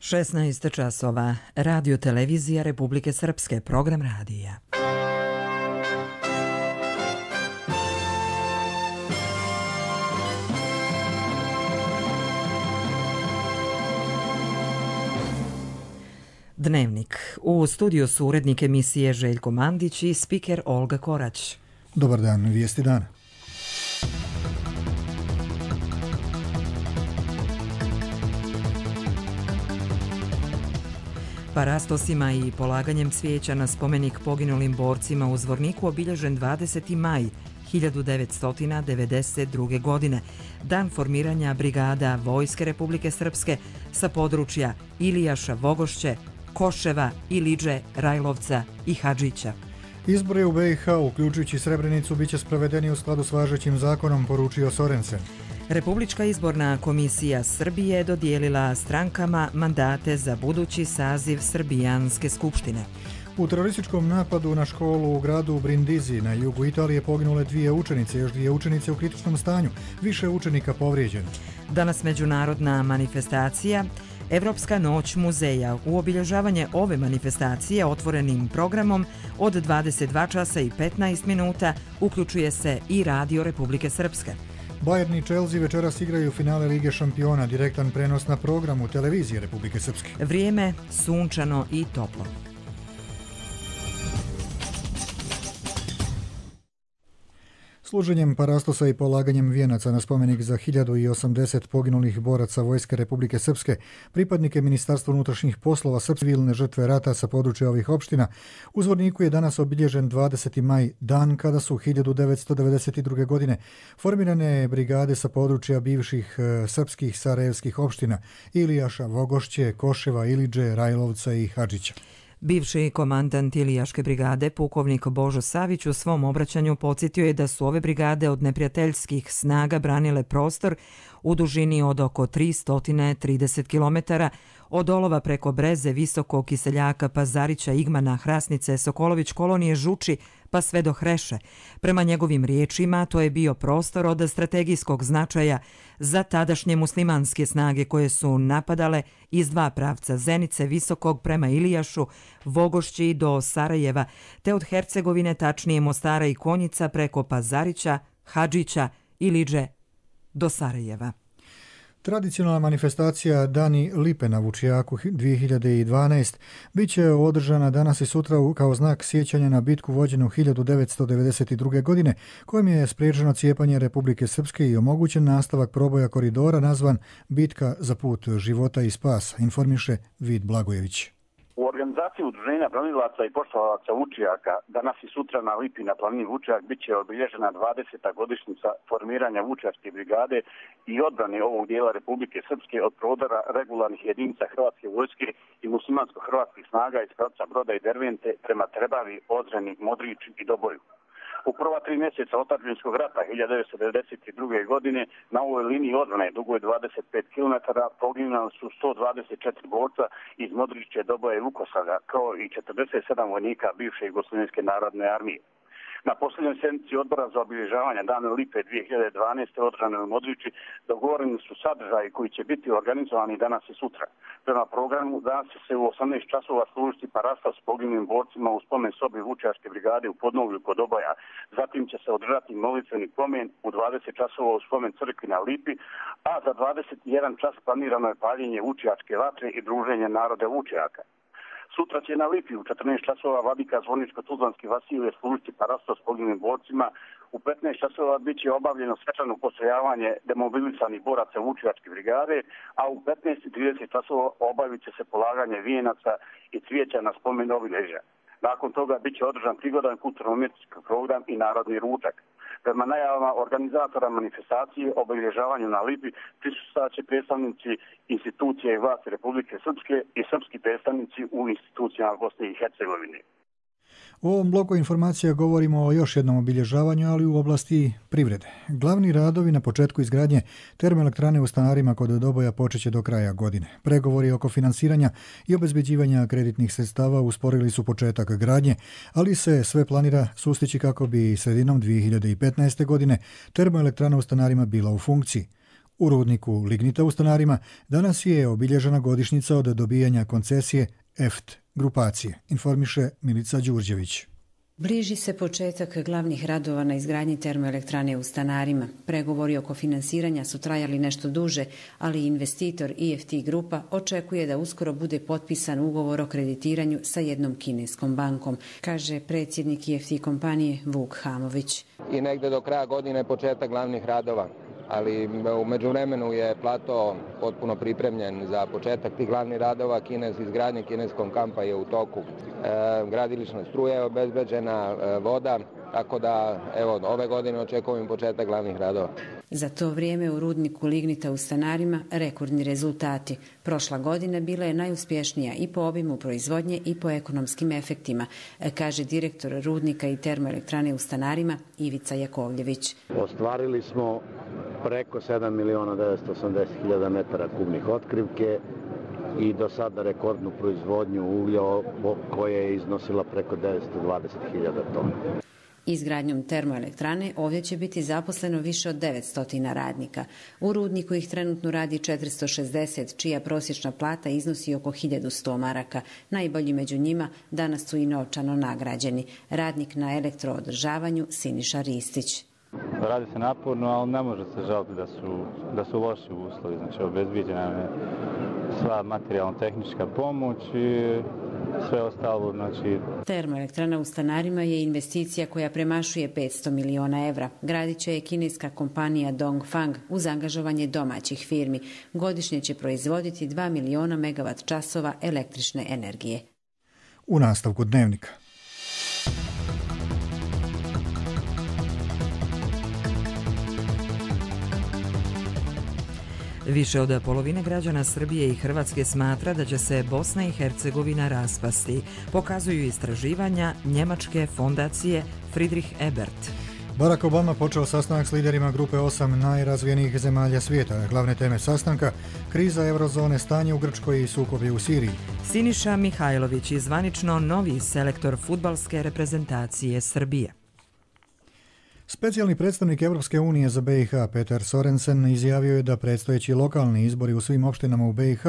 16 časova. Radio televizija Republike Srpske. Program radija. Dnevnik. U studiju su urednik emisije Željko Mandić i spiker Olga Korać. Dobar dan, vijesti dana. Parastosima i polaganjem cvijeća na spomenik poginulim borcima u Zvorniku obilježen 20. maj 1992. godine, dan formiranja brigada Vojske Republike Srpske sa područja Ilijaša, Vogošće, Koševa, Iliđe, Rajlovca i Hadžića. Izbori u BiH, uključujući Srebrenicu, bit će sprovedeni u skladu s važećim zakonom, poručio Sorensen. Republička izborna komisija Srbije dodijelila strankama mandate za budući saziv Srbijanske skupštine. U terorističkom napadu na školu u gradu Brindisi na jugu Italije poginule 2 učenice, još 2 učenice u kritičnom stanju, više učenika povrijeđeno. Danas međunarodna manifestacija Evropska noć muzeja. U obilježavanje ove manifestacije otvorenim programom od 22 časa i 15 minuta uključuje se i Radio Republike Srpske. Bayern i Chelsea večeras igraju finale Lige šampiona, direktan prenos na programu televizije Republike Srpske. Vrijeme sunčano i toplo. Služenjem parastosa i polaganjem vijenaca na spomenik za 1080 poginulih boraca Vojske Republike Srpske, pripadnike Ministarstva unutrašnjih poslova srpske civilne žrtve rata sa područja ovih opština, u Zvorniku je danas obilježen 20. maj, dan kada su 1992. godine formirane brigade sa područja bivših srpskih sarajevskih opština Ilijaša, Vogošće, Koševa, Iliđe, Rajlovca i Hadžića. Bivši komandant Ilijaške brigade, pukovnik Božo Savić, u svom obraćanju podsjetio je da su ove brigade od neprijateljskih snaga branile prostor u dužini od oko 330 km, od Olova preko Breze, Visokog, Kiseljaka, Pazarića, Igmana, Hrasnice, Sokolović, Kolonije, Žuči, pa sve do Hreše. Prema njegovim riječima, to je bio prostor od strategijskog značaja za tadašnje muslimanske snage koje su napadale iz 2 pravca, Zenice, Visokog prema Ilijašu, Vogošći do Sarajeva, te od Hercegovine, tačnije Mostara i Konjica preko Pazarića, Hadžića, Iliđe do Sarajeva. Tradicionalna manifestacija Dani lipe na Vučijaku 2012 bit će održana danas i sutra kao znak sjećanja na bitku vođenu 1992. godine, kojim je spriječeno cijepanje Republike Srpske i omogućen nastavak proboja koridora nazvan Bitka za put života i spasa, informiše Vid Blagojević. U organizaciji Udruženja branilaca i poštovalaca Vučijaka danas i sutra na Lipi na planini Vučijak bit će obilježena 20. godišnjica formiranja Vučijačke brigade i odbrane ovog dijela Republike Srpske od prodora regularnih jedinica Hrvatske vojske i muslimansko-hrvatskih snaga iz pravca Broda i Dervente prema Trebavi, Ozreni, Modriću i Doboju. U prva 3 mjeseca otadžbinskog rata 1992. godine na ovoj liniji odbrane dugoj 25 km poginuli su 124 borca iz Modriće, Doboja i Vukosavlja, kao i 47 vojnika bivše Jugoslovenske narodne armije. Na posljednjoj sjednici odbora za obilježavanje Dana lipe 2012. održane u Modrići dogovoreni su sadržaji koji će biti organizovani danas i sutra. Prema programu danas će se u 18 časova služiti parastos s poginulim borcima u spomen sobi Vučijačke brigade u Podnovlju kod Doboja. Zatim će se održati molitveni pomen u 20 časova u spomen crkvi na Lipi, a za 21 čas planirano je paljenje Vučijačke vatre i druženje naroda Vučijaka. Sutra će na Lipi u 14 časova vladika Zvorničko-Tuzlanski Vasilije služiti parastos s poginulim borcima. U 15 časova bit će obavljeno svečano postrojavanje demobilisanih boraca Vučijačke brigade, a u 15:30 časova obavit će se polaganje vijenaca i cvijeća na spomen obilježja. Nakon toga bit će održan prigodan kulturno-umjetnički program i narodni ručak. Prema najavama organizatora manifestacije o obilježavanju na Lipi prisustvovat će predstavnici institucije i vlasti Republike Srpske i srpski predstavnici u institucijama Bosne i Hercegovine. U ovom bloku informacija govorimo o još jednom obilježavanju, ali u oblasti privrede. Glavni radovi na početku izgradnje termoelektrane u Stanarima kod Doboja počeće do kraja godine. Pregovori oko finansiranja i obezbeđivanja kreditnih sredstava usporili su početak gradnje, ali se sve planira sustići kako bi sredinom 2015. godine termoelektrana u Stanarima bila u funkciji. U rudniku lignita u Stanarima danas je obilježena godišnjica od dobijanja koncesije EFT grupacije, informiše Milica Đurđević. Bliži se početak glavnih radova na izgradnji termoelektrane u Stanarima. Pregovori oko finansiranja su trajali nešto duže, ali investitor EFT grupa očekuje da uskoro bude potpisan ugovor o kreditiranju sa jednom kineskom bankom, kaže predsjednik EFT kompanije Vuk Hamović. I negde do kraja godine početak glavnih radova. Ali u međuvremenu je plato potpuno pripremljen za početak tih glavnih radova. Izgradnje kineskog kampa je u toku. Gradilišna struja je obezbeđena, voda, tako da evo, ove godine očekujem početak glavnih radova. Za to vrijeme u rudniku lignita u Stanarima rekordni rezultati. Prošla godina bila je najuspješnija i po obimu proizvodnje i po ekonomskim efektima, kaže direktor rudnika i termoelektrane u Stanarima Ivica Jakovljević. Ostvarili smo preko 7.980.000 metara kubnih otkrivke i do sada rekordnu proizvodnju uglja koja je iznosila preko 920.000 tona. Izgradnjom termoelektrane ovdje će biti zaposleno više od 900 radnika. U rudniku ih trenutno radi 460, čija prosječna plata iznosi oko 1100 maraka. Najbolji među njima danas su i novčano nagrađeni. Radnik na elektroodržavanju Siniša Ristić. Radi se naporno, ali ne može se žaliti da su loši uslovi. Znači, obezbiđena je sva materijalno-tehnička pomoć i sve ostalo. Znači... Termoelektrana u Stanarima je investicija koja premašuje 500 miliona evra. Gradit će je kineska kompanija Dongfang uz angažovanje domaćih firmi. Godišnje će proizvoditi 2 miliona megavat časova električne energije. U nastavku dnevnika. Više od polovine građana Srbije i Hrvatske smatra da će se Bosna i Hercegovina raspasti, pokazuju istraživanja njemačke fondacije Friedrich Ebert. Barack Obama počeo sastanak s liderima grupe 8 najrazvijenijih zemalja svijeta. Glavne teme sastanka: kriza eurozone, stanje u Grčkoj i sukobi u Siriji. Siniša Mihajlović je zvanično novi selektor fudbalske reprezentacije Srbije. Specijalni predstavnik Europske unije za BiH Peter Sorensen izjavio je da predstojeći lokalni izbori u svim opštinama u BiH,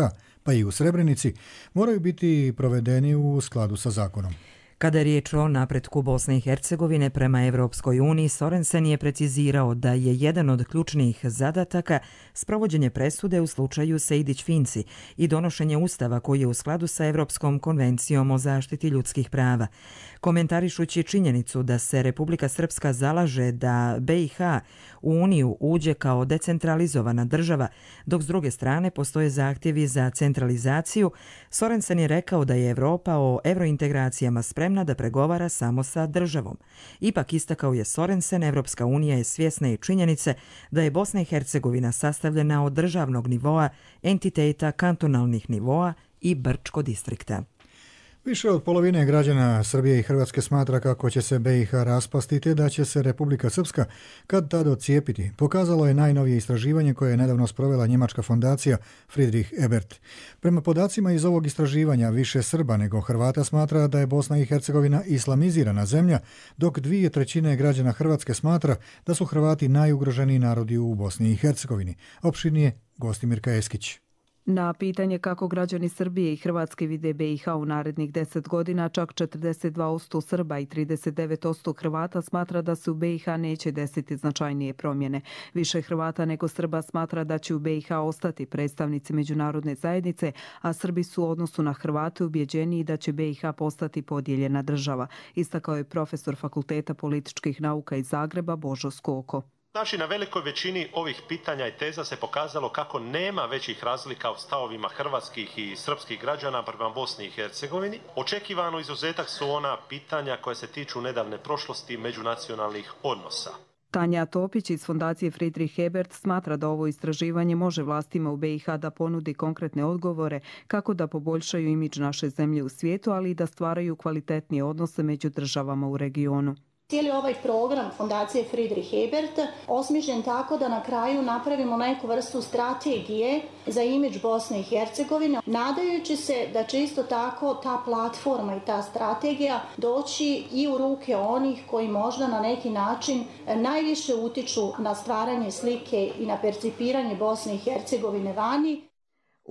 pa i u Srebrenici, moraju biti provedeni u skladu sa zakonom. Kada je riječ o napretku Bosne i Hercegovine prema Evropskoj uniji, Sorensen je precizirao da je jedan od ključnih zadataka sprovođenje presude u slučaju Sejdić-Finci i donošenje ustava koji je u skladu sa Evropskom konvencijom o zaštiti ljudskih prava. Komentarišući činjenicu da se Republika Srpska zalaže da BiH u Uniju uđe kao decentralizovana država, dok s druge strane postoje zahtjevi za centralizaciju, Sorensen je rekao da je Evropa o evrointegracijama spremna da pregovara samo sa državom. Ipak, istakao je Sorensen, Evropska unija je svjesna i činjenice da je Bosna i Hercegovina sastavljena od državnog nivoa, entiteta, kantonalnih nivoa i Brčko distrikta. Više od polovine građana Srbije i Hrvatske smatra kako će se BiH raspasti te da će se Republika Srpska kad tad odcijepiti. Pokazalo je najnovije istraživanje koje je nedavno sprovela njemačka fondacija Friedrich Ebert. Prema podacima iz ovog istraživanja, više Srba nego Hrvata smatra da je Bosna i Hercegovina islamizirana zemlja, dok 2/3 građana Hrvatske smatra da su Hrvati najugroženiji narodi u Bosni i Hercegovini. Opširnije Gostimirka Eskić. Na pitanje kako građani Srbije i Hrvatske vide BiH u narednih 10 godina, čak 42% Srba i 39% Hrvata smatra da se u BiH neće desiti značajnije promjene. Više Hrvata nego Srba smatra da će u BiH ostati predstavnici međunarodne zajednice, a Srbi su u odnosu na Hrvate ubjeđeniji da će BiH postati podijeljena država, istakao je profesor Fakulteta političkih nauka iz Zagreba Božo Skoko. Znači, na velikoj većini ovih pitanja i teza se pokazalo kako nema većih razlika u stavovima hrvatskih i srpskih građana prema Bosni i Hercegovini. Očekivano izuzetak su ona pitanja koja se tiču nedavne prošlosti međunacionalnih odnosa. Tanja Topić iz fondacije Friedrich Ebert smatra da ovo istraživanje može vlastima u BiH da ponudi konkretne odgovore kako da poboljšaju imidž naše zemlje u svijetu, ali i da stvaraju kvalitetnije odnose među državama u regionu. Cijeli ovaj program Fondacije Friedrich Ebert osmišljen tako da na kraju napravimo neku vrstu strategije za imidž Bosne i Hercegovine, nadajući se da će isto tako ta platforma i ta strategija doći i u ruke onih koji možda na neki način najviše utiču na stvaranje slike i na percipiranje Bosne i Hercegovine vani.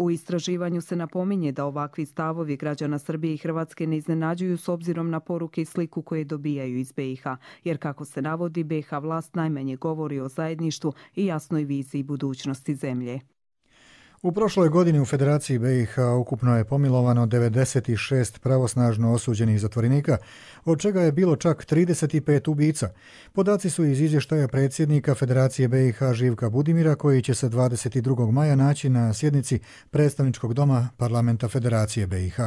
U istraživanju se napominje da ovakvi stavovi građana Srbije i Hrvatske ne iznenađuju s obzirom na poruke i sliku koje dobijaju iz BiH, jer kako se navodi, BiH vlast najmanje govori o zajedništvu i jasnoj viziji budućnosti zemlje. U prošloj godini u Federaciji BiH ukupno je pomilovano 96 pravosnažno osuđenih zatvorenika, od čega je bilo čak 35 ubica. Podaci su iz izvještaja predsjednika Federacije BiH Živka Budimira, koji će se 22. maja naći na sjednici predstavničkog doma Parlamenta Federacije BiH.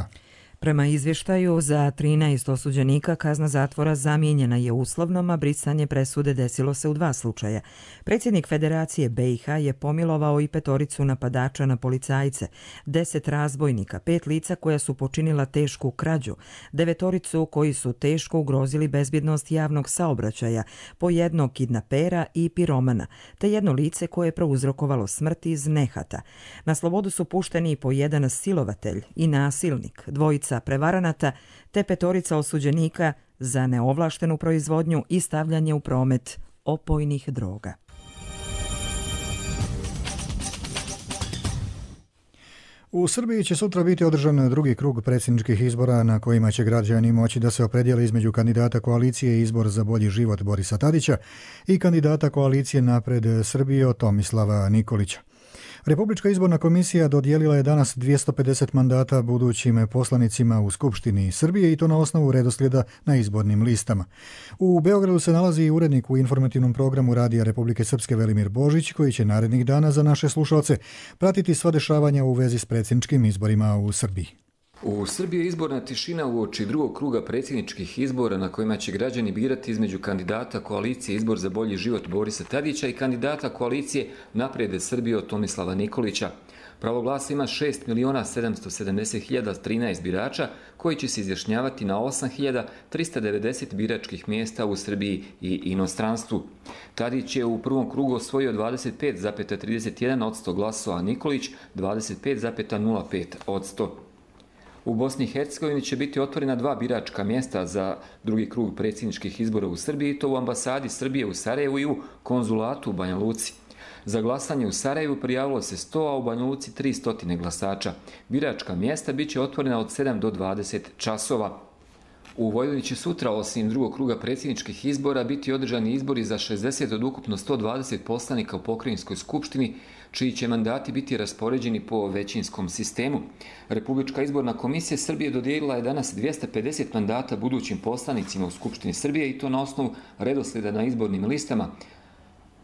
Prema izvještaju, za 13 osuđenika kazna zatvora zamijenjena je uslovnom, a brisanje presude desilo se u 2 slučaja. Predsjednik Federacije BiH je pomilovao i 5 napadača na policajce, 10 razbojnika, 5 lica koja su počinila tešku krađu, 9 koji su teško ugrozili bezbjednost javnog saobraćaja, po 1 kidnapera i piromana, te 1 lice koje je prouzrokovalo smrt iz nehata. Na slobodu su pušteni po 1 silovatelj i nasilnik, 2 prevaranata te 5 osuđenika za neovlaštenu proizvodnju i stavljanje u promet opojnih droga. U Srbiji će sutra biti održan drugi krug predsjedničkih izbora na kojima će građani moći da se opredijele između kandidata koalicije Izbor za bolji život Borisa Tadića i kandidata koalicije Napred Srbije Tomislava Nikolića. Republička izborna komisija dodijelila je danas 250 mandata budućim poslanicima u Skupštini Srbije i to na osnovu redoslijeda na izbornim listama. U Beogradu se nalazi i urednik u informativnom programu Radija Republike Srpske Velimir Božić, koji će narednih dana za naše slušalce pratiti sva dešavanja u vezi s predsjedničkim izborima u Srbiji. U Srbiji je izborna tišina uoči drugog kruga predsjedničkih izbora na kojima će građani birati između kandidata koalicije Izbor za bolji život Borisa Tadića i kandidata koalicije Naprijed Srbije Tomislava Nikolića. Pravo glasa ima 6.770.013 birača koji će se izjašnjavati na 8.390 biračkih mjesta u Srbiji i inostranstvu. Tadić je u prvom krugu osvojio 25,31% glasova, a Nikolić 25,05%. U Bosni i Hercegovini će biti otvorena 2 biračka mjesta za drugi krug predsjedničkih izbora u Srbiji, to u ambasadi Srbije u Sarajevu i u konzulatu u Banja Luci. Za glasanje u Sarajevu prijavilo se 100, a u Banja Luci 300 glasača. Biračka mjesta bit će otvorena od 7 do 20 časova. U Vojvodini će sutra, osim drugog kruga predsjedničkih izbora, biti održani izbori za 60 od ukupno 120 poslanika u pokrajinskoj skupštini, čiji će mandati biti raspoređeni po većinskom sistemu. Republička izborna komisija Srbije dodijelila je danas 250 mandata budućim poslanicima u Skupštini Srbije i to na osnovu redoslijeda na izbornim listama.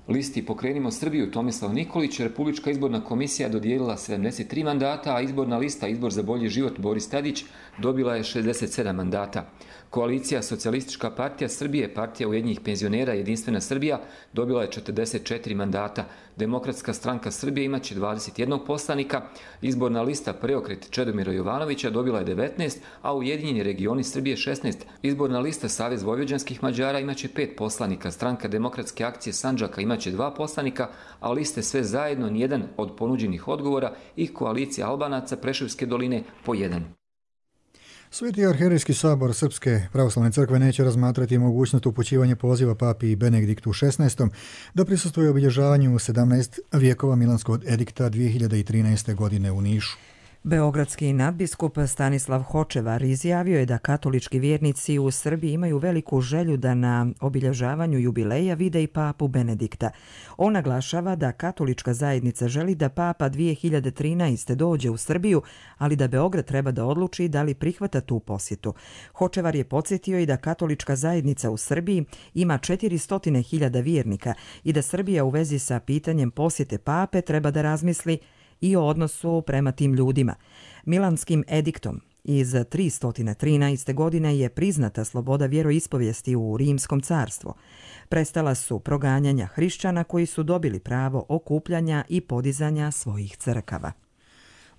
Listi Pokrenimo Srbiju Tomislav Nikolić, Republička izborna komisija dodijelila 73 mandata, a izborna lista Izbor za bolji život Boris Tadić dobila je 67 mandata. Koalicija Socijalistička partija Srbije, Partija ujedinjenih penzionera Jedinstvena Srbija dobila je 44 mandata. Demokratska stranka Srbije imaće 21 poslanika, izborna lista Preokret Čedomira Jovanovića dobila je 19, a Ujedinjeni regioni Srbije 16. Izborna lista Savez vojvođanskih Mađara imaće 5 poslanika, Stranka demokratske akcije Sandžaka imaće 2 poslanika, a liste Sve zajedno nijedan od ponuđenih odgovora i Koalicija Albanaca Preševske doline po 1. Sveti arhijerejski sabor Srpske pravoslavne crkve neće razmatrati mogućnost upućivanja poziva papi Benediktu XVI da prisustvuje obilježavanju 17 vijekova Milanskog edikta 2013. godine u Nišu. Beogradski nadbiskup Stanislav Hočevar izjavio je da katolički vjernici u Srbiji imaju veliku želju da na obilježavanju jubileja vide i papu Benedikta. On naglašava da katolička zajednica želi da papa 2013. dođe u Srbiju, ali da Beograd treba da odluči da li prihvata tu posjetu. Hočevar je podsjetio i da katolička zajednica u Srbiji ima 400.000 vjernika i da Srbija u vezi sa pitanjem posjete pape treba da razmisli i o odnosu prema tim ljudima. Milanskim ediktom iz 313. godine je priznata sloboda vjeroispovijesti u Rimskom carstvu. Prestala su proganjanja hrišćana koji su dobili pravo okupljanja i podizanja svojih crkava.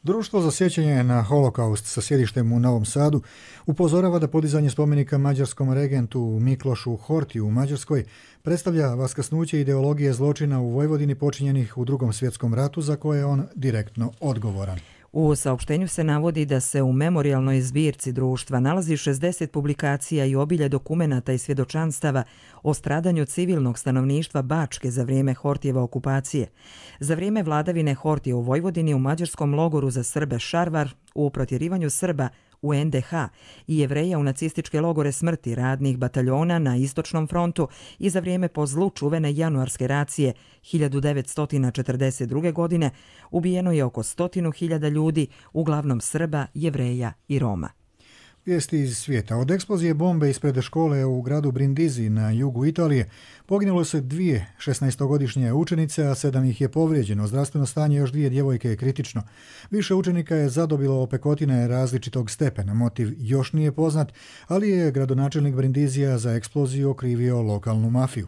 Društvo za sjećanje na holokaust sa sjedištem u Novom Sadu upozorava da podizanje spomenika mađarskom regentu Miklošu Hortiju u Mađarskoj predstavlja vaskrsnuće ideologije zločina u Vojvodini počinjenih u Drugom svjetskom ratu za koje je on direktno odgovoran. U saopštenju se navodi da se u memorijalnoj zbirci društva nalazi 60 publikacija i obilje dokumenata i svjedočanstava o stradanju civilnog stanovništva Bačke za vrijeme Hortijeve okupacije. Za vrijeme vladavine Hortije u Vojvodini u mađarskom logoru za Srbe Šarvar, u protjerivanju Srba u NDH i Jevreja u nacističke logore smrti radnih bataljona na Istočnom frontu i za vrijeme po zlu čuvene januarske racije 1942. godine ubijeno je oko 100.000 ljudi, uglavnom Srba, Jevreja i Roma. Vijesti iz svijeta. Od eksplozije bombe ispred škole u gradu Brindisi na jugu Italije poginulo se 2 16-godišnje učenice, a 7 ih je povrijeđeno. Zdravstveno stanje još 2 djevojke je kritično. Više učenika je zadobilo opekotine različitog stepena. Motiv još nije poznat, ali je gradonačelnik Brindisija za eksploziju okrivio lokalnu mafiju.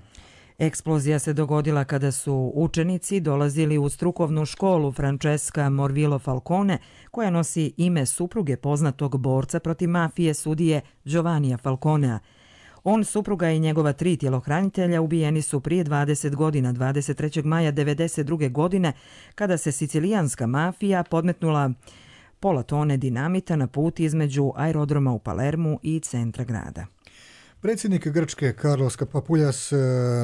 Eksplozija se dogodila kada su učenici dolazili u strukovnu školu Francesca Morvillo Falcone, koja nosi ime supruge poznatog borca protiv mafije sudije Giovannija Falconea. On, supruga i njegova 3 tjelohranitelja ubijeni su prije 20 godina, 23. maja 1992. godine, kada se sicilijanska mafija podmetnula pola tone dinamita na put između aerodroma u Palermu i centra grada. Predsjednik Grčke Carlos Papoulias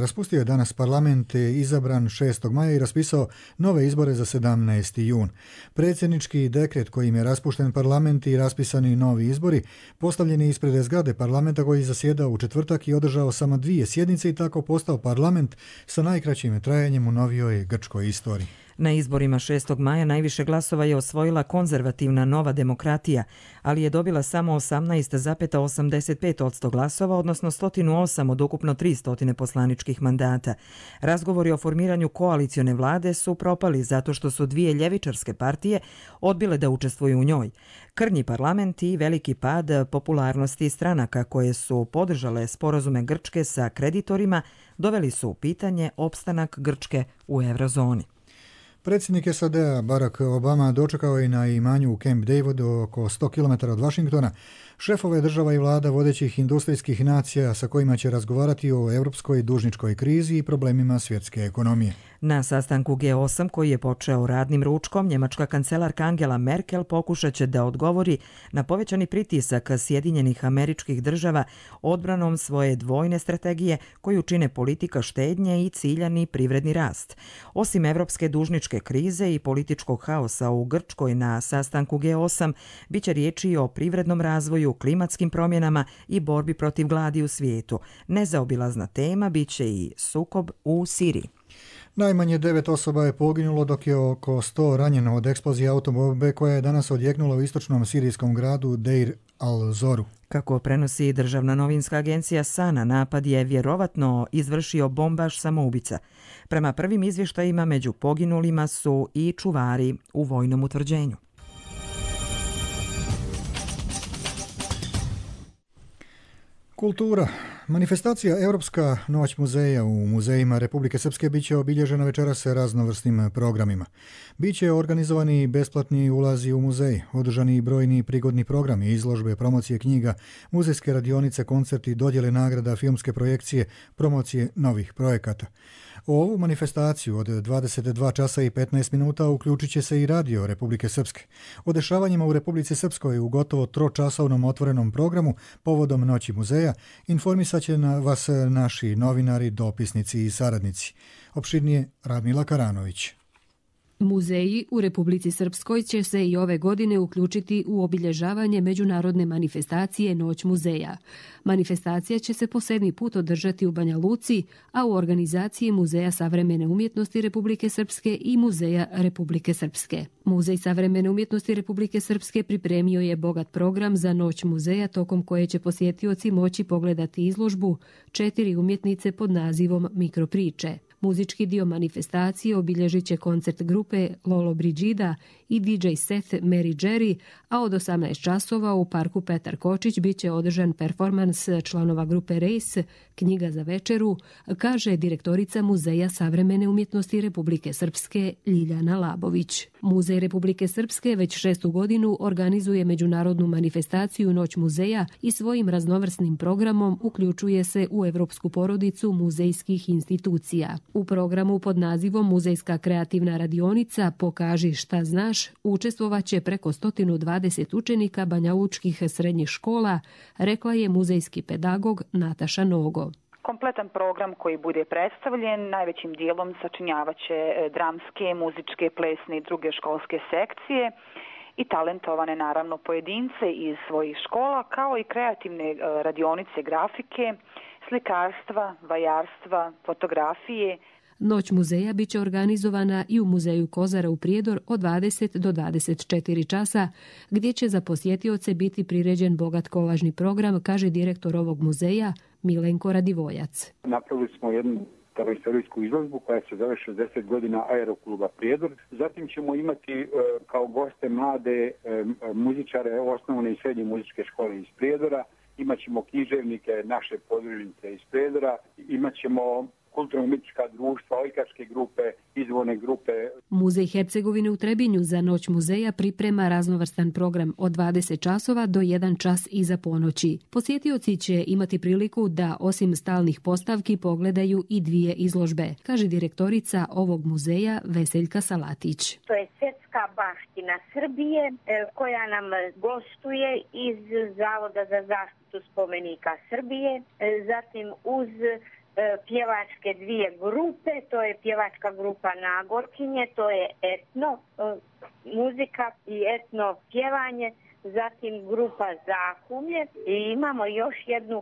raspustio je danas parlament, izabran 6. maja i raspisao nove izbore za 17. jun. Predsjednički dekret kojim je raspušten parlament i raspisani novi izbori postavljeni ispred zgrade parlamenta koji zasjedao u četvrtak i održao samo 2 sjednice i tako postao parlament sa najkraćim trajanjem u novijoj grčkoj istoriji. Na izborima 6. maja najviše glasova je osvojila konzervativna Nova demokratija, ali je dobila samo 18,85% glasova, odnosno 108 od ukupno 300 poslaničkih mandata. Razgovori o formiranju koalicione vlade su propali zato što su 2 ljevičarske partije odbile da učestvuju u njoj. Krnji parlament i veliki pad popularnosti stranaka koje su podržale sporazume Grčke sa kreditorima doveli su u pitanje opstanak Grčke u eurozoni. Predsjednik SAD-a Barack Obama dočekao je na imanju u Camp Davidu oko 100 km od Washingtona šefove država i vlada vodećih industrijskih nacija sa kojima će razgovarati o europskoj dužničkoj krizi i problemima svjetske ekonomije. Na sastanku G8 koji je počeo radnim ručkom, njemačka kancelarka Angela Merkel pokušat će da odgovori na povećani pritisak Sjedinjenih Američkih Država odbranom svoje dvojne strategije koju čine politika štednje i ciljani privredni rast. Osim evropske dužničke krize i političkog haosa u Grčkoj na sastanku G8, bit će riječi o privrednom razvoju, klimatskim promjenama i borbi protiv gladi u svijetu. Nezaobilazna tema bit će i sukob u Siriji. Najmanje 9 osoba je poginulo dok je oko 100 ranjeno od eksplozije autobombe koja je danas odjeknula u istočnom sirijskom gradu Deir al-Zoru. Kako prenosi državna novinska agencija Sana, napad je vjerovatno izvršio bombaš samoubica. Prema prvim izvještajima među poginulima su i čuvari u vojnom utvrđenju. Kultura. Manifestacija Europska noć muzeja u muzejima Republike Srpske biće obilježena večeras raznovrsnim programima. Biće organizovani besplatni ulazi u muzej, održani brojni prigodni programi, izložbe, promocije knjiga, muzejske radionice, koncerti, dodjele nagrada, filmske projekcije, promocije novih projekata. U ovu manifestaciju od 22 časa i 15 minuta uključit će se i radio Republike Srpske. O dešavanjima u Republici Srpskoj u gotovo 3-časovnom otvorenom programu povodom Noći muzeja informisat će vas naši novinari, dopisnici i saradnici. Opširnije Radmila Karanović. Muzeji u Republici Srpskoj će se i ove godine uključiti u obilježavanje međunarodne manifestacije Noć muzeja. Manifestacija će se po 7. put održati u Banja Luci, a u organizaciji Muzeja savremene umjetnosti Republike Srpske i Muzeja Republike Srpske. Muzej savremene umjetnosti Republike Srpske pripremio je bogat program za Noć muzeja tokom koje će posjetioci moći pogledati izložbu 4 umjetnice pod nazivom Mikropriče. Muzički dio manifestacije obilježit će koncert grupe Lolo Brigida i DJ Seth Mary Jerry, a od 18 časova u parku Petar Kočić bit će održan performans članova grupe Race, knjiga za večeru, kaže direktorica Muzeja savremene umjetnosti Republike Srpske Ljiljana Labović. Muzej Republike Srpske već 6. godinu organizuje međunarodnu manifestaciju Noć muzeja i svojim raznovrsnim programom uključuje se u evropsku porodicu muzejskih institucija. U programu pod nazivom Muzejska kreativna radionica Pokaži šta znaš učestvovaće preko 120 učenika banjalučkih srednjih škola, rekla je muzejski pedagog Nataša Nogo. Kompletan program koji bude predstavljen najvećim dijelom sačinjavaće dramske, muzičke, plesne i druge školske sekcije i talentovane naravno pojedince iz svojih škola, kao i kreativne radionice grafike, slikarstva, vajarstva, fotografije. Noć muzeja bit će organizovana i u Muzeju Kozara u Prijedor od 20 do 24 časa, gdje će za posjetioce biti priređen bogat kolažni program, kaže direktor ovog muzeja Milenko Radivojac. Napravili smo jednu istorijsku izložbu koja se zove 60 godina Aerokluba Prijedor. Zatim ćemo imati kao goste mlade muzičare osnovne i srednje muzičke škole iz Prijedora. Imaćemo književnike naše podružnice iz Prijedora. Imaćemo kulturno-umjetnička društva, ojkačke grupe, izvorne grupe. Muzej Hercegovine u Trebinju za Noć muzeja priprema raznovrstan program od 20 časova do 1 čas iza ponoći. Posjetioci će imati priliku da osim stalnih postavki pogledaju i 2 izložbe, kaže direktorica ovog muzeja Veseljka Salatić. To je svjetska baština Srbije koja nam gostuje iz Zavoda za zaštitu spomenika Srbije, zatim uz pjevačke 2 grupe, to je pjevačka grupa Nagorkinje, to je etno muzika i etno pjevanje, zatim grupa Zahumlje i imamo još jednu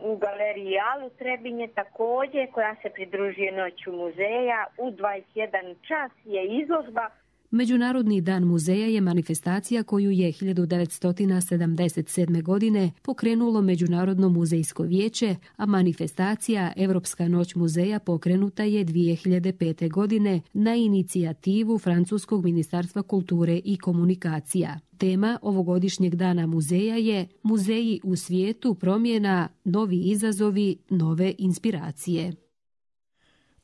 u galeriji Alu Trebinje također koja se pridružuje Noću muzeja. U 21 čas je izložba. Međunarodni dan muzeja je manifestacija koju je 1977. godine pokrenulo Međunarodno muzejsko vijeće, a manifestacija Evropska noć muzeja pokrenuta je 2005. godine na inicijativu Francuskog ministarstva kulture i komunikacija. Tema ovogodišnjeg dana muzeja je Muzeji u svijetu promjena, novi izazovi, nove inspiracije.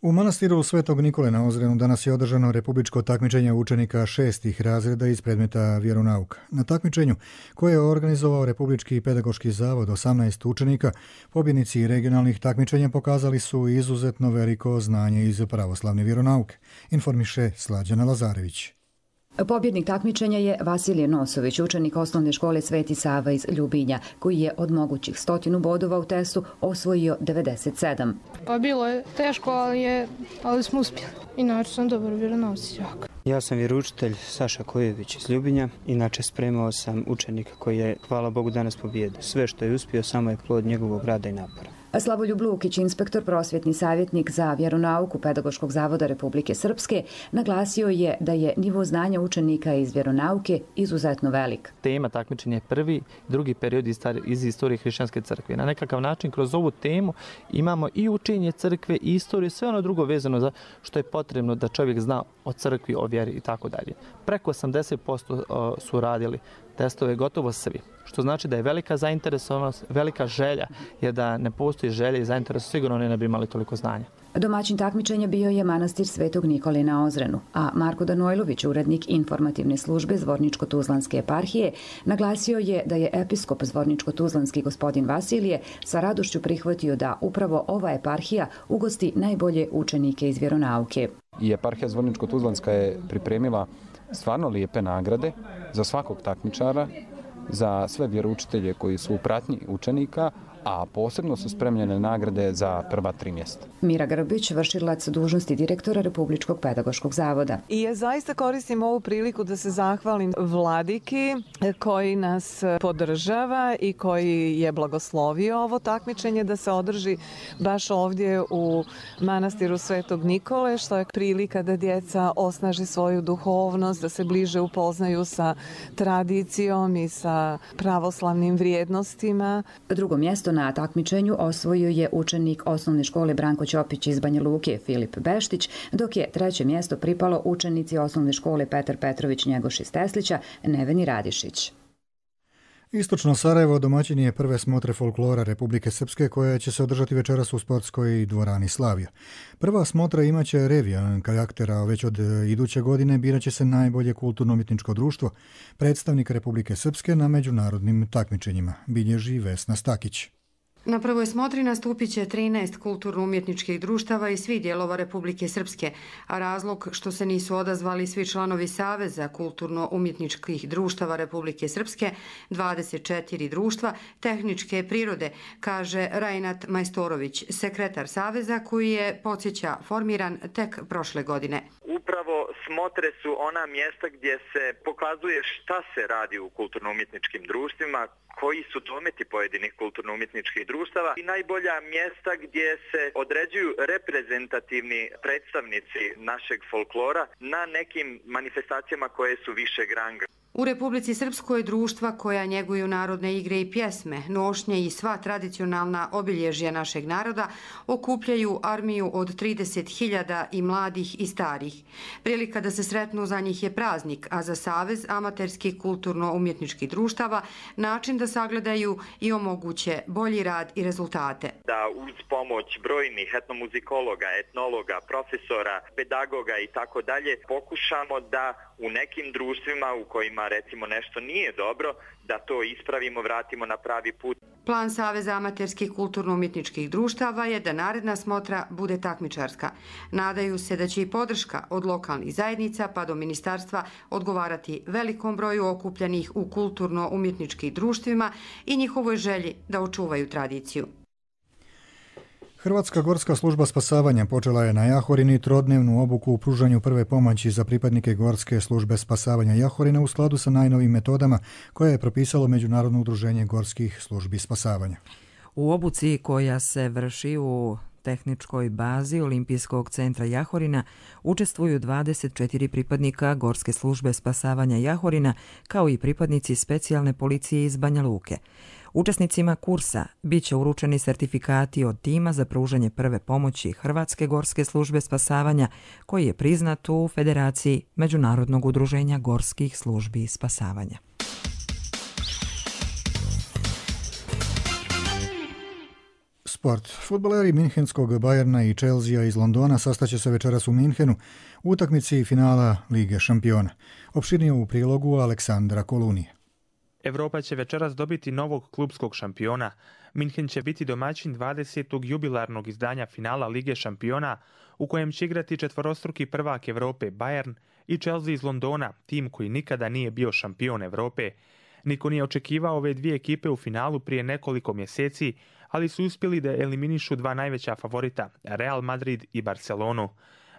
U manastiru Svetog Nikole na Ozrenu danas je održano republičko takmičenje učenika 6. razreda iz predmeta vjeronauk. Na takmičenju, koje je organizovao Republički pedagoški zavod, 18 učenika, pobjednici regionalnih takmičenja pokazali su izuzetno veliko znanje iz pravoslavne vjeronauke, informiše Slađana Lazarević. Pobjednik takmičenja je Vasilije Nosović, učenik osnovne škole Sveti Sava iz Ljubinja, koji je od mogućih 100 bodova u testu osvojio 97. Pa bilo je teško, ali smo uspjeli. Inače sam dobar vjeronauci jako. Ja sam vjeroučitelj Saša Kojević iz Ljubinja. Inače spremao sam učenika koji je, hvala Bogu, danas pobjedio. Sve što je uspio samo je plod njegovog rada i napora. Slavoljub Lukić, inspektor, prosvjetni savjetnik za vjeronauku Pedagoškog zavoda Republike Srpske, naglasio je da je nivo znanja učenika iz vjeronauke izuzetno velik. Tema takmičenja je prvi, drugi period iz istorije hrišćanske crkve. Na nekakav način kroz ovu temu imamo i učenje crkve i istoriju, sve ono drugo vezano za što je potrebno da čovjek zna o crkvi, o vjeri i tako dalje. Preko 80% su radili testove gotovo svi, što znači da je velika zainteresovanost, velika želja, jer da ne postoji želja i zainteresovanost, sigurno ne bi imali toliko znanja. Domaćin takmičenja bio je manastir Svetog Nikole na Ozrenu, a Marko Danojlović, urednik informativne službe Zvorničko-Tuzlanske eparhije, naglasio je da je episkop Zvorničko-Tuzlanski gospodin Vasilije sa radošću prihvatio da upravo ova eparhija ugosti najbolje učenike iz vjeronauke. I eparhija Zvorničko-Tuzlanska je pripremila stvarno lijepe nagrade za svakog takmičara, za sve vjeroučitelje koji su u pratnji učenika, a posebno su spremljene nagrade za prva 3 mjesta. Mira Grbić, vršilac dužnosti direktora Republičkog pedagoškog zavoda. I ja zaista koristim ovu priliku da se zahvalim vladiki koji nas podržava i koji je blagoslovio ovo takmičenje da se održi baš ovdje u manastiru Svetog Nikole, što je prilika da djeca osnaže svoju duhovnost, da se bliže upoznaju sa tradicijom i sa pravoslavnim vrijednostima. Drugo mjesto na takmičenju osvojio je učenik osnovne škole Branko Ćopić iz Banja Luke Filip Beštić, dok je treće mjesto pripalo učenici osnovne škole Petar Petrović Njegoš iz Teslića Neveni Radišić. Istočno Sarajevo domaćin je prve smotre folklora Republike Srpske koja će se održati večeras u sportskoj dvorani Slavija. Prva smotra imaće revijan karakter, a već od iduće godine biraće se najbolje kulturno-umjetničko društvo, predstavnik Republike Srpske na međunarodnim takmičenjima, bilježi Vesna Stakić. Na prvoj smotri nastupit će 13 kulturno-umjetničkih društava iz svih dijelova Republike Srpske, a razlog što se nisu odazvali svi članovi Saveza kulturno-umjetničkih društava Republike Srpske, 24 društva tehničke prirode, kaže Rajnat Majstorović, sekretar Saveza koji je, podsjeća, formiran tek prošle godine. Upravo smotre su ona mjesta gdje se pokazuje šta se radi u kulturno-umjetničkim društvima, koji su dometi pojedinih kulturno-umjetničkih društava i najbolja mjesta gdje se određuju reprezentativni predstavnici našeg folklora na nekim manifestacijama koje su višeg ranga. U Republici Srpskoj društva koja njeguju narodne igre i pjesme, nošnje i sva tradicionalna obilježja našeg naroda okupljaju armiju od 30.000 i mladih i starih. Prilika da se sretnu za njih je praznik, a za Savez amaterskih kulturno-umjetničkih društava način da sagledaju i omoguće bolji rad i rezultate. Da uz pomoć brojnih etnomuzikologa, etnologa, profesora, pedagoga i tako dalje pokušamo da u nekim društvima u kojima recimo nešto nije dobro, da to ispravimo, vratimo na pravi put. Plan Saveza amaterskih kulturno-umjetničkih društava je da naredna smotra bude takmičarska. Nadaju se da će i podrška od lokalnih zajednica pa do ministarstva odgovarati velikom broju okupljenih u kulturno-umjetničkih društvima i njihovoj želji da očuvaju tradiciju. Hrvatska gorska služba spasavanja počela je na Jahorini trodnevnu obuku u pružanju prve pomoći za pripadnike Gorske službe spasavanja Jahorina u skladu sa najnovim metodama koje je propisalo Međunarodno udruženje gorskih službi spasavanja. U obuci koja se vrši u tehničkoj bazi Olimpijskog centra Jahorina učestvuju 24 pripadnika Gorske službe spasavanja Jahorina kao i pripadnici specijalne policije iz Banja Luke. Učesnicima kursa bit će uručeni sertifikati od tima za pružanje prve pomoći Hrvatske gorske službe spasavanja, koji je priznat u Federaciji Međunarodnog udruženja gorskih službi spasavanja. Sport. Fudbaleri Minhenskog Bayerna i Chelsea iz Londona sastaće se večeras u Minhenu u utakmici finala Lige šampiona. Opširnije u prilogu Aleksandra Kolunije. Evropa će večeras dobiti novog klubskog šampiona. Minhen će biti domaćin 20. jubilarnog izdanja finala Lige šampiona u kojem će igrati četvorostruki prvak Evrope Bayern i Chelsea iz Londona, tim koji nikada nije bio šampion Evrope. Niko nije očekivao ove dvije ekipe u finalu prije nekoliko mjeseci, ali su uspjeli da eliminišu dva najveća favorita, Real Madrid i Barcelonu.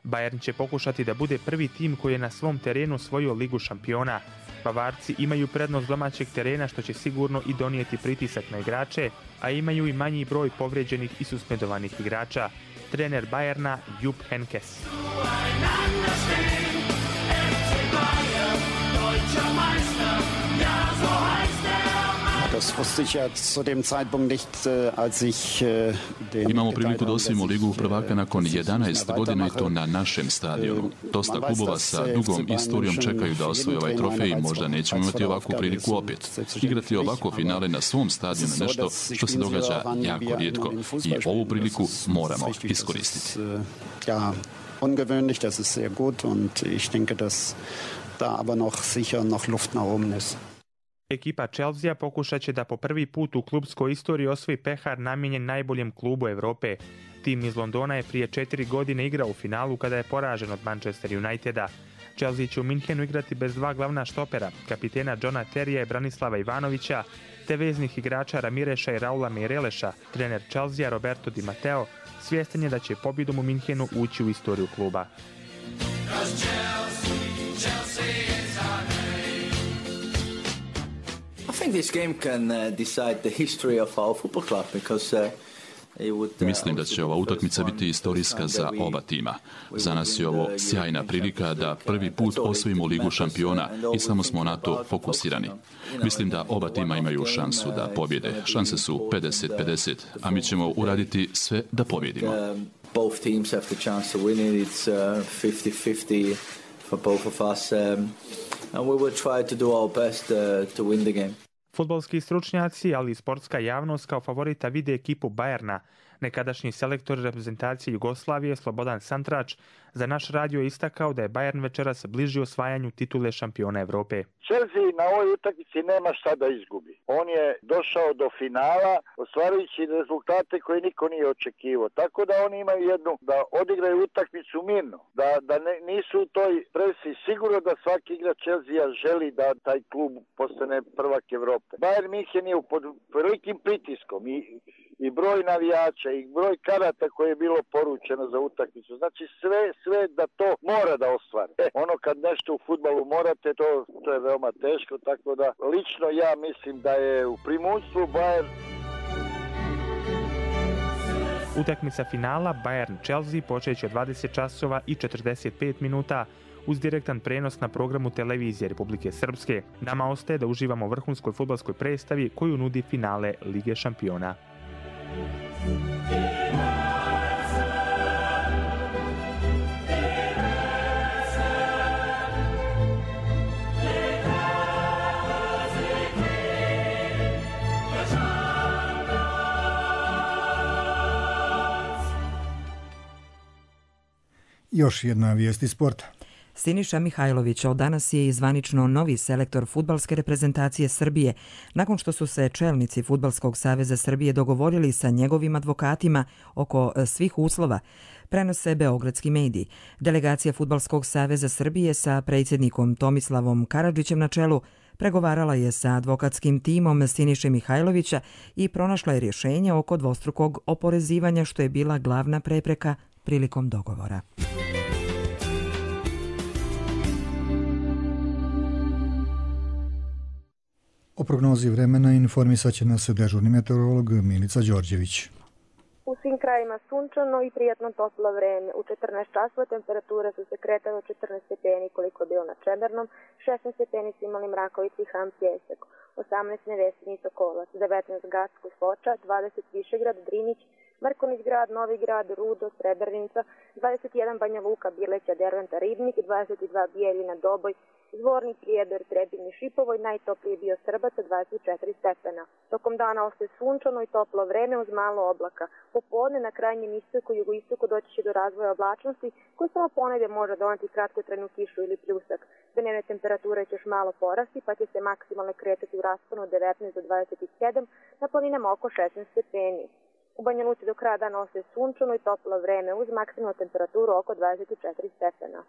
Bayern će pokušati da bude prvi tim koji je na svom terenu osvojio Ligu šampiona. Bavarci imaju prednost domaćeg terena što će sigurno i donijeti pritisak na igrače, a imaju i manji broj povrijeđenih i suspendovanih igrača. Trener Bayerna Jupp Heynckes. Imamo priliku da osvojimo Ligu prvaka nakon 11 godina i to na našem stadionu. Dosta klubova sa dugom istorijom čekaju da osvoje ovaj trofej i možda nećemo imati ovakvu priliku opet. Igrati ovako finale na svom stadionu je nešto što se događa jako rijetko i ovu priliku moramo iskoristiti. Ungewöhnlich, das ist sehr gut und ich denke, dass da aber noch sicher noch Luft nach oben ist. Ekipa Chelsea pokušat će da po prvi put u klubskoj istoriji osvoji pehar namijenjen najboljem klubu Evrope. Tim iz Londona je prije 4 godine igrao u finalu kada je poražen od Manchester Uniteda. Chelsea će u Minhenu igrati bez dva glavna štopera, kapitena Johna Terija i Branislava Ivanovića, te veznih igrača Ramireša i Raula Meireleša. Trener Chelsea Roberto Di Matteo svjestan je da će pobjedom u Minhenu ući u istoriju kluba. I think this game can decide the history of our football club because Mislim da će ova utakmica biti istorijska za oba tima. Za nas je ovo sjajna prilika da prvi put osvojimo Ligu šampiona i samo smo na to fokusirani. Mislim da oba tima imaju šansu da pobjede. Šanse su 50-50, a mi ćemo uraditi sve da pobjedimo. Both teams have the chance to win it. It's 50-50 for both of us. And we will try to do our best to win the game. Fudbalski stručnjaci, ali i sportska javnost kao favorita vide ekipu Bayerna. Nekadašnji selektor reprezentacije Jugoslavije Slobodan Santrač za naš radio je istakao da je Bayern večeras bliži osvajanju titule šampiona Evrope. Chelsea na ovoj utakmici nema šta da izgubi. On je došao do finala ostvarujući rezultate koje niko nije očekivao. Tako da oni imaju jednu da odigraju utakmicu mirno, da nisu u toj presi. Sigurno da svaki igrač Chelsea želi da taj klub postane prvak Evrope. Bayern München je pod velikim pritiskom i broj navijača i broj karata koje je bilo poručeno za utakmicu. Znači sve da to mora da ostvari. Ono kad nešto u fudbalu morate, to je veoma teško, tako da lično ja mislim da je u primunstvu Bayern. Utakmica finala Bayern-Chelsea počeće 20 časova i 45 minuta uz direktan prenos na programu televizije Republike Srpske. Nama ostaje da uživamo u vrhunskoj fudbalskoj predstavi koju nudi finale Lige šampiona. Još jedna vijest iz sporta. Siniša Mihajlović od danas je zvanično novi selektor fudbalske reprezentacije Srbije, nakon što su se čelnici Fudbalskog saveza Srbije dogovorili sa njegovim advokatima oko svih uslova, prenose beogradski mediji. Delegacija Fudbalskog saveza Srbije sa predsjednikom Tomislavom Karadžićem na čelu pregovarala je sa advokatskim timom Siniše Mihajlovića i pronašla je rješenje oko dvostrukog oporezivanja, što je bila glavna prepreka prilikom dogovora. O prognozi vremena informisat će nas dežurni meteorolog Milica Đorđević. U svim krajima sunčano i prijatno toplo vreme. U 14 časova temperature su se kretale 14 stepeni koliko je bilo na Čemernom, 16 stepeni su imali Mrakovici i Ham Pjesak, 18 Nevesinj i Sokolac, 19 Gacko i Foča, 20 Višegrad, Drinić, Mrkonić grad, Novi grad, Rudo, Srebrenica, 21 Banja Luka, Bileća, Derventa, Ribnik, 22 Bijeljina, Doboj, Zvorni, Prijedor, Trebinj i Šipovo i najtopliji bio Srbaca 24 stepena. Tokom dana ostaje sunčano i toplo vreme uz malo oblaka. Popodne na krajnjem istoku i jugoistoku doći će do razvoja oblačnosti koji samo ponegdje može doneti kratkotrajnu kišu ili pljusak. Dnevne temperature će još malo porasti pa će se maksimalno kretati u rasponu od 19 do 27, na planinama oko 16 stepeni. U Banja Luci do kraja dana ostaje sunčano i toplo vreme uz maksimalnu temperaturu oko 24 stepena.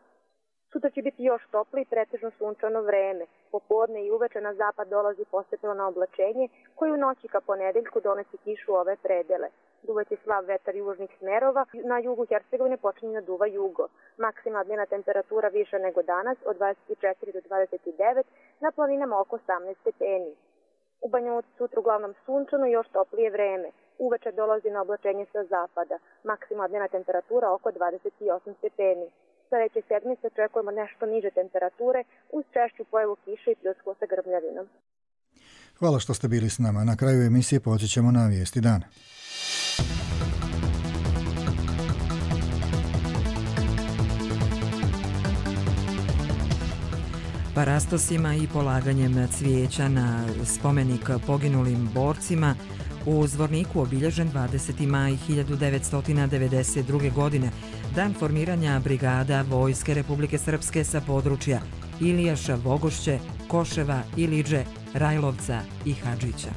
Sutra će biti još toplo i pretežno sunčano vreme. Popodne i uveče na zapad dolazi postepeno oblačenje koji u noći ka ponedeljku donosi kišu u ove predele. Duvaće slab vetar južnih smerova, na jugu Hercegovine počinje da duva jugo. Maksimalna dnevna temperatura više nego danas od 24 do 29, na planinama oko 18 stepeni. U Banja Luci sutra uglavnom sunčano i još toplije vreme. Uveče dolazi na oblačenje sa zapada. Maksimalna dnevna temperatura oko 28 stepeni. Sljedeće sedmice očekujemo nešto niže temperature uz češću pojavu kiše i pljusku sa grmljavinom. Hvala što ste bili s nama. Na kraju emisije podsjećamo na vijesti dana. Parastosima i polaganjem cvijeća na spomenik poginulim borcima u Zvorniku obilježen 20. maj 1992. godine, dan formiranja brigada Vojske Republike Srpske sa područja Ilijaša, Vogošće, Koševa, Iliđe, Rajlovca i Hadžića.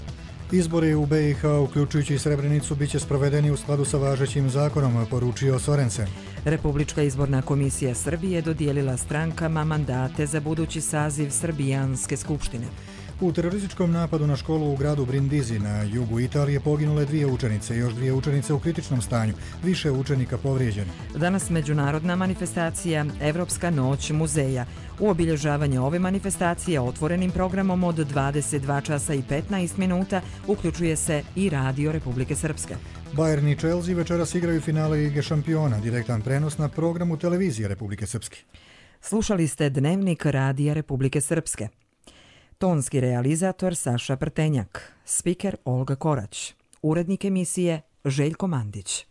Izbori u BiH, uključujući i Srebrenicu, biće sprovedeni u skladu sa važećim zakonom, poručio Sorensen. Republička izborna komisija Srbije dodijelila strankama mandate za budući saziv Srbijanske skupštine. U terorističkom napadu na školu u gradu Brindisi na jugu Italije poginule 2 učenice, još 2 učenice u kritičnom stanju, više učenika povrijeđeno. Danas međunarodna manifestacija Evropska noć muzeja. U obilježavanje ove manifestacije otvorenim programom od 22 časa i 15 minuta uključuje se i Radio Republike Srpske. Bayern i Chelsea večeras igraju finale Lige šampiona, direktan prenos na programu televizije Republike Srpske. Slušali ste Dnevnik Radija Republike Srpske. Tonski realizator Saša Prtenjak, spiker Olga Korać, urednik emisije Željko Mandić.